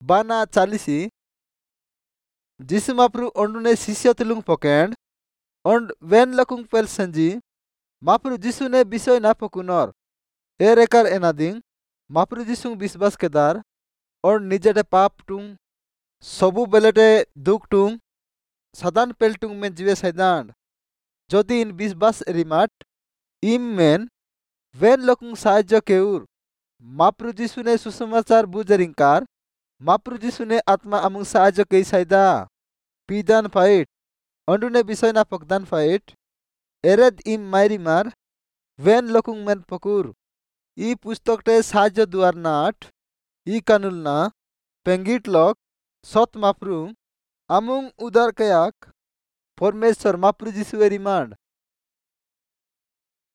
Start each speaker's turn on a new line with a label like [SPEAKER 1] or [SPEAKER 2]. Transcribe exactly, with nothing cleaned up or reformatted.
[SPEAKER 1] ବାନା ଚାଲିସି ଯୀଶୁ ମାପ୍ରୁ ଅଣ୍ଡୁନେ ଶିଷ୍ୟ ତୁଲୁଙ୍ଗ ପକେଣ୍ଡ ଅଣ୍ଡ when ଲକୁଙ୍ଗ ପେଲ ସେଞ୍ଜି ମାପ୍ରୁ ଯୀଶୁନେ ବିଷୟ ନା ପକୁନର ଏ ରେକାର ଏନାଦିଙ୍ଗ ମାପ୍ରୁ ଯୀଶୁଙ୍ଗ ବିଶ୍ୱାସ କେଦାର ଅଣ୍ଡ ନିଜେଟେ ପାପ ଟୁଙ୍ଗ ସବୁ ବେଲେଟେ ଦୁଃଖ ଟୁଙ୍ଗ ସାଦାନ ପେଲଟୁଙ୍ଗ ମେନ୍ ଜିବେ ସାଇଦାଣ୍ଡ ଯଦି ଇନ୍ ବିଶ୍ୱାସ ଏରିମାଟ ଇମ୍ ମେନ୍ when ଲୋକୁଙ୍ଗ ସାହାଯ୍ୟ କେଉର ମାପ୍ରୁ ଯୀଶୁନେ ସୁସମାଚାର ବୁଝେରିଙ୍କାର ମାପ୍ରୁ ଯୀଶୁନେ ଆତ୍ମା ଆମୁଙ୍ଗ ସାହାଯ୍ୟ କେଇ ସାଇଦା ପିଦାନ ଫାଇଟ ଅଣ୍ଡୁନେ ବିଷୟ ନା ପକଦାନ ଫାଇଟ ଏରେଦ ଇମ୍ ମାଇରିମାର when ଲୋକୁଙ୍ଗ ମେନ୍ ପକୁର ଇ ପୁସ୍ତକଟେ ସାହାଯ୍ୟ ଦୁଆର ନାଟ ଇ କାନୁଲ ନା পেঙ্গিট লক সৎ মাপ্রু আমুং উদার কেয়াক পরমেশ্বর মাপ্রু যিশু এ রিমান্ড।